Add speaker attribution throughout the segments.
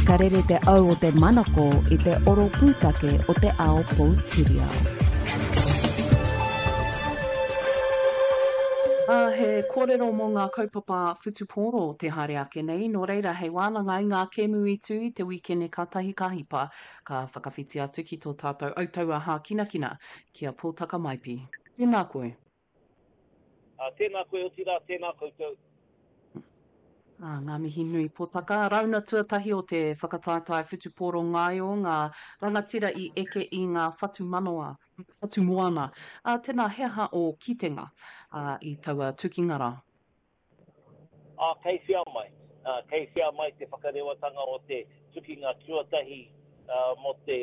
Speaker 1: Ka rere te au o te manako i te oro pūtake o te ao poutiriao.
Speaker 2: Ā, he kōrero mō ngā kaupapa whutupōro te haere ake nei, nō reira hei wānanga i ngā kēmu i tū i te wīkene kātahi ka hipa, ka whakawhiti atu ki tō tātou autaua hākinakina, ki a Pōtaka Maipi. Tēnā koe.
Speaker 3: Ā, tēnā koe, otirā, tēnā koutou.
Speaker 2: Ā, ngā mihi nui Potaka. Rauna tuatahi o te whakataetae whutupōro ngaio, ngā rangatira i eke i ngā whatumanawa, whatumoana. Ā, tēnā, he aha ō kitenga, ā, i taua tukinga rā?
Speaker 3: Ā, kei whea mai? Ā, kei whea mai te whakarewatanga o te tukinga tuatahi, ā, mō te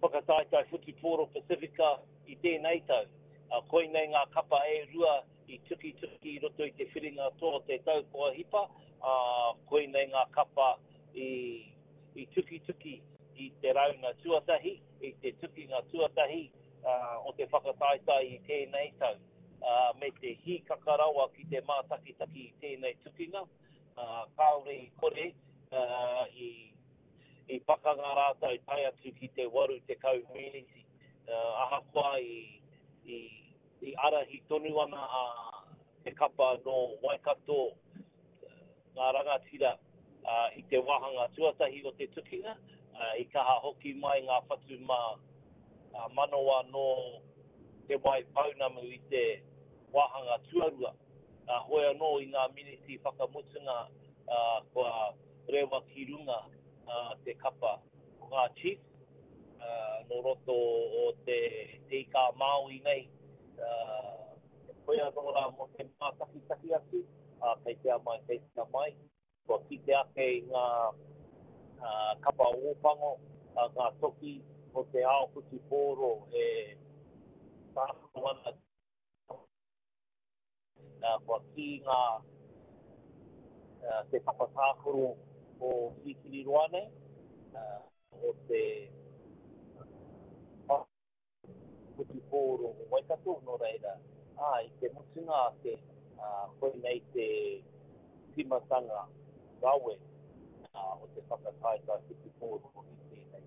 Speaker 3: whakataetae whutupōro Pasifika i tēnei tau? Ā, koinei ngā kapa e rua i tukituki i roto i te whiringa toa o te tau kua hipa, ā, koinei ngā kapa i, i tukituki i te rauna tuatahi, i te tukinga tuatahi o te whakataetae i tēnei tau, ā, me te hīkaka rawa ki te mātakitaki i tēnei tukinga, ā, kāore i kore, ā, i, i pakanga rātou tae atu ki te 80 meneti, ā, ahakoa i, i, I ārahi tonu ana a te kapa nō Waikato ngā rangatira i te wāhanga tuatahi o te tukinga, i kaha hoki mai ngā whatu manawa nō Te Wai Pounamu i te wāhanga tuarua. Hoi anō i ngā miniti whakamutunga kua rewa ki runga te kapa o ngā Chiefs. Nō roto o te Ika-a-Māui nei, koe anō rā mō te mātakitaki atu, ā, kei te amai, kei te amai. Kua kite ake i ngā kapa ōpango, ngā toki o te ao whutupōro e tākaro ana. Kua kī ngā te papa tākaro o Kirikiriroa nei, o te whutupōro o Waikato, nō reira, ā, i te mutunga ake, koinei te tīmatanga rawe o te whakataetae whutupōro i tēnei.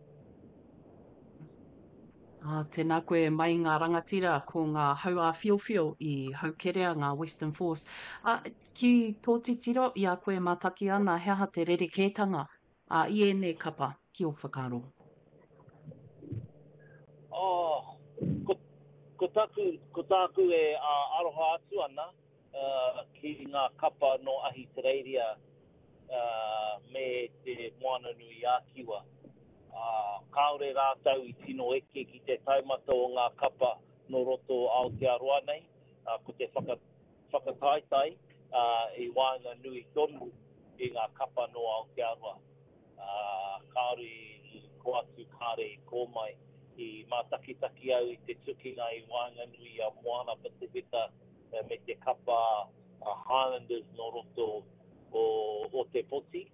Speaker 2: Ā, tēnā koe mai ngā rangatira, ko ngā hau āwhiowhio i haukerea ngā Western Force. Ā, ki tō titiro, i a koe e mātaki ana, he aha te rerekētanga, ā, i ēnei kapa, ki ō whakaaro?
Speaker 3: Oh, ko, ko taku, ko tāku e aroha atu ana, ki ngā kapa nō Ahitereiria me te Moananui-a-Kiwa. Kāore rātou i tino eke ki te taumata o ngā kapa nō roto o Aotearoa nei, ko te whakataetae i waenganui tonu i ngā kapa nō Aotearoa. Kāore i kō atu, kāore i kō mai. I mātakitaki au i te tukinga i waenganui i a Moana Pasifika me te kapa Highlanders nō roto o Ōtepoti.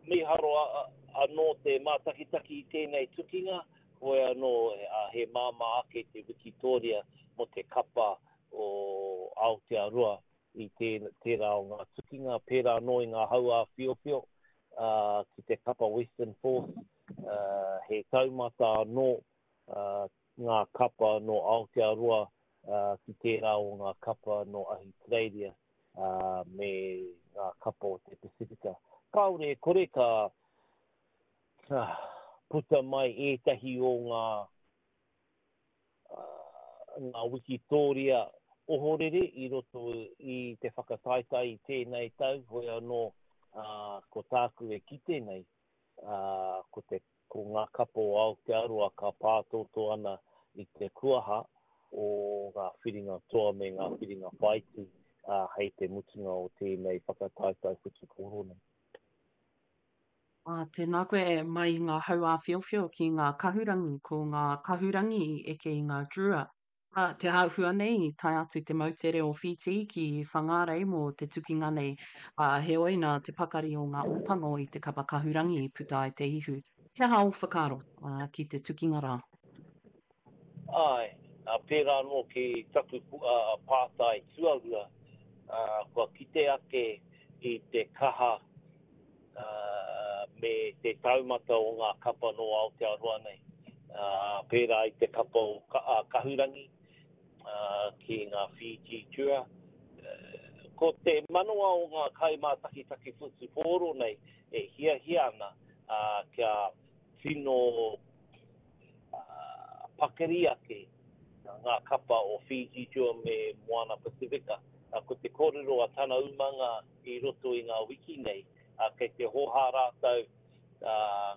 Speaker 3: Mīharo anō te mātakitaki i tēnei tukinga, hoi anō he māmā ake te wikitōria mō te kapa o Aotearoa i tērā o ngā tukinga, pērā anō i ngā hau āwhiowhio ki te kapa Western Force, he taumata anō ngā kapa nō Aotearoa ki tērā o ngā kapa nō Ahitereiria me ngā kapa o te Pasifika. Kāore e kore ka puta mai ētahi o ngā ngā wikitōria ohorere i roto i te whakataetae i tēnei tau, hoi anō ko tāku e kite nei, ko te ko ngā kapa o Aotearoa ka pātōtō ana i te kuaha o ngā whiringa toa me ngā whiringa whāiti hei te mutunga o tēnei whakataetae whutupōro nei.
Speaker 2: Ā, tēnā koe e, mai i ngā hau āwhiowhio ki ngā kahurangi, ko ngā kahurangi i eke i ngā Drua. Ā, te āhua nei i tae atu te moutere o Whītī ki Whangārei mō te tukinga nei, ā, heoi nā te pakari o ngā ōpango i te kapa kahurangi i puta ai te ihu. He aha ō whakaaro, ā, ki te tukinga rā?
Speaker 3: Āe, ā, pērā anō ki taku pātai tuarua, ā, kua kite ake i te kaha. me te taumata o ngā kapa nō Aotearoa nei, pērā i te kapa o Kahurangi ki ngā Fiji Drua. Ko te manawa o ngā kaimātakitaki whutupōro nei e hiahia ana kia tino pakari ake ngā kapa o Fiji Drua me Moana Pasifika. Ko te kōrero a tana umanga i roto i ngā wiki nei, kei te hōhā rātou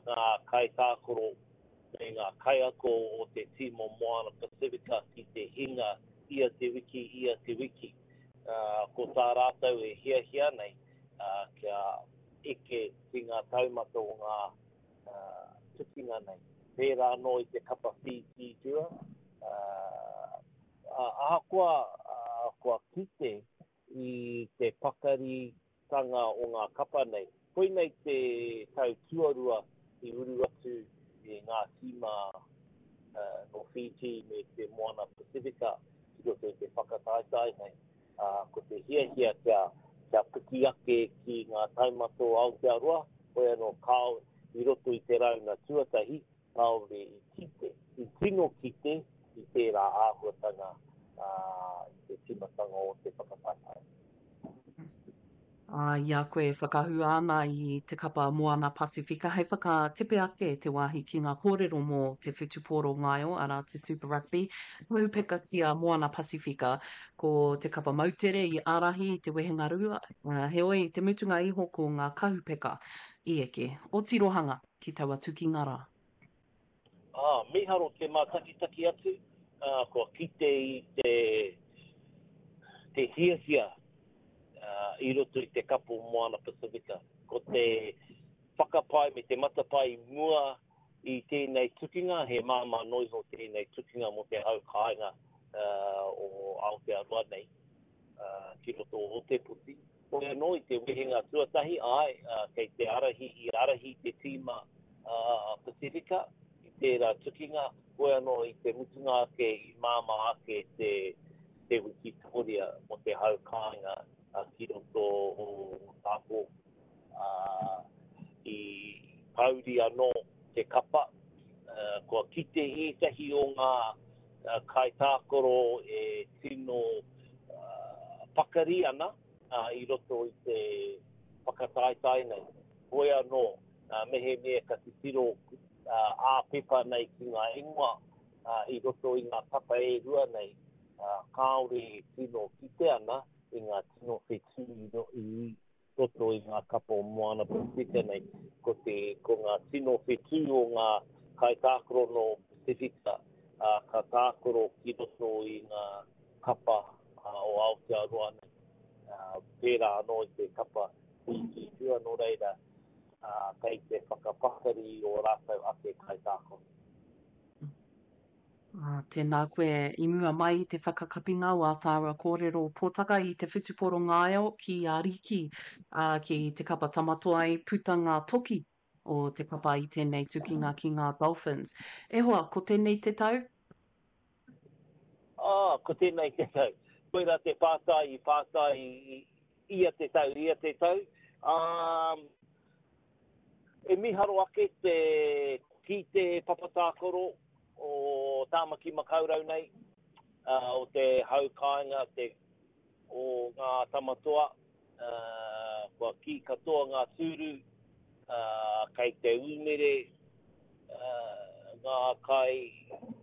Speaker 3: ngā kaitākaro me ngā kaiako o te tīma Moana Pasifika ki te hinga ia te wiki, ia te wiki. Ko tā rātou e hiahia nei kia eke ki ngā taumata o ngā tukinga nei. Pērā anō i te kapa Fiji Drua, ahakoa kua kite i te pakaritanga o ngā kapa nei. Koinei te tau tuarua i uru atu i ngā tīma nō Fiji me te Moana Pasifika ki roto i te whakataetae nei. Ko te hiahia kia, kia piki ake ki ngā taumata o Aotearoa, hoi anō kāore i roto i te rauna tuatahi, kāore i kite, i tino kite i tērā āhuatanga i te tīmatanga o te whakataetae.
Speaker 2: Ā, i a koe e whakahua ana i te kapa Moana Pasifika hei whakatepe ake te wāhi ki ngā kōrero mō te whutupōro ngaio, arā, te Super Rugby, kaupeka ki a Moana Pasifika, ko te kapa moutere i ārahi i te wehenga rua, heoi, i te mutunga iho ko ngā kahupeka i eke. O tirohanga ki taua tukinga rā.
Speaker 3: Ā, mīharo te mātakitaki atu, ā, kua kite i te, te hiahia, ā, i roto i te kapo Moana Pasifika. Ko te whakapae me te matapae i mua i tēnei tukinga, he māmā noa iho tēnei tukinga mō te hau kāinga, ā, o Aotearoa nei, ā, ki roto o Ōtepoti. Hoi anō i te wehenga tuatahi, āe, kei te ārahi, i ārahi te tīma Pasifika i tērā tukinga, hoi anō i te mutunga ake i māmā ake te te wikitōria mō te hau kāinga ki roto o Ōtākou. I pōuri anō te kapa, kua kite ētahi o ngā kaitākaro e tino pakari ana i roto i te whakataetae nei. Hoi anō, mehemea ka titiro ā-pepa nei ki ngā ingoa i roto i ngā kapa e rua nei, kāore e tino kite ana i ngā tino whetū i roto i ngā kapa o Moana Pasifika nei, ko te, ko ngā tino whetū o ngā kaitākaro nō Pasifika, ā, ka tākaro ki roto i ngā kapa o Aotearoa nei, ā, pērā anō i te kapa Fiji Drua, nō reira, ā, kei te whakapakari i ō rātou ake kaitākaro.
Speaker 2: Ā, tēnā koe i mua mai i te whakakapinga o ā tāua kōrero pōtaka i te whutupōro ngaio ki a Riki, ā, ki te kapa Tamatoa i puta ngā toki o te kapa i tēnei tukinga ki ngā Dolphins. E hoa, ko tēnei te tau?
Speaker 3: Ā, ko tēnei te tau. Koirā te pātai i pātai i ia te tau, ia te tau. Ā, E mīharo ake te ki te papa tākaro o Tāmaki Makaurau nei, o te hau kāinga, te, o ngā tamatoa, kua kī katoa ngā tūru, kei te umere ngā kai,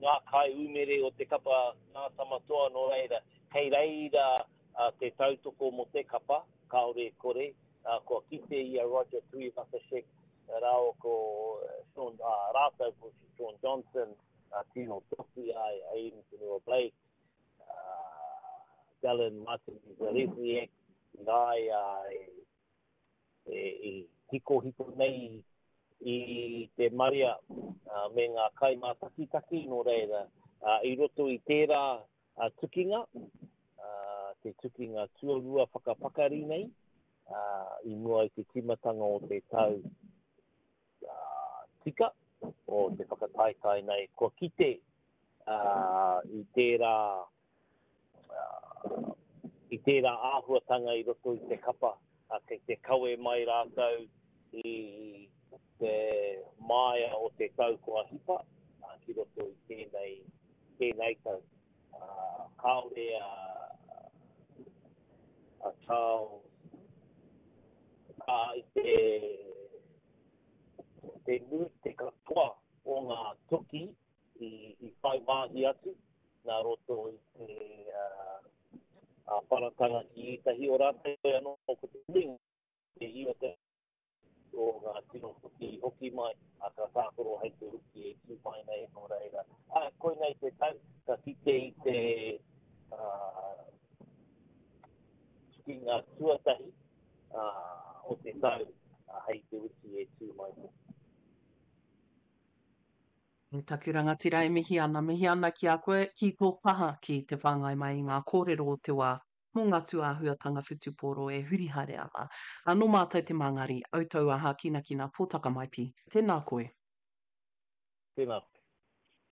Speaker 3: ngā kai umere o te kapa ngā tamatoa, nō reira, kei reira te tautoko mō te kapa, kāore e kore, Ā, kua kite i a Roger Tuivasa-Sheck rāua ko Shaun, ā, rātou ko Shaun Johnson, a Tino Toki, a Aiden Fonua-Blake, a Dallin Martinez-Zalesniak, i a ia e hikohiko nei i te marea me ngā kaimātakitaki, nō reira, i roto i tērā tukinga, te tukinga tuarua whakapakari nei, i mua i te tīmatanga o te tau tika o te whakataetae nei, kua kite i tērā, i tērā āhuatanga i roto i te kapa, kei te kawe mai rātou i. te māia o te tau kua hipa ki roto i tēnei, tēnei tau. Kāore a, a Charles i te, te nui, te katoa o ngā toki i, i whai wāhi atu nā roto i te uh, wharatanga ki ētahi o rātou, anō ko te nuinga, te 90 o ngā tino hoki i hoki mai, ā, ka tākaro hei te wiki e tū mai nei, nō reira, ā, koinei te tau, ka kite i te tukinga tuatahi o te tau hei te wiki e tū mai nei.
Speaker 2: E taku rangatira e mihi ana, mihi ana ki a koe, ki tō kaha ki te whāngai mai i ngā kōrero o te wā mō ngā tūāhuatanga whutupōro e huri haere ana. Ā, nō mātou te Māngari, Autaua Hākinakina Pōtaka Maipi. Tēnā koe.
Speaker 3: Tēnā koe.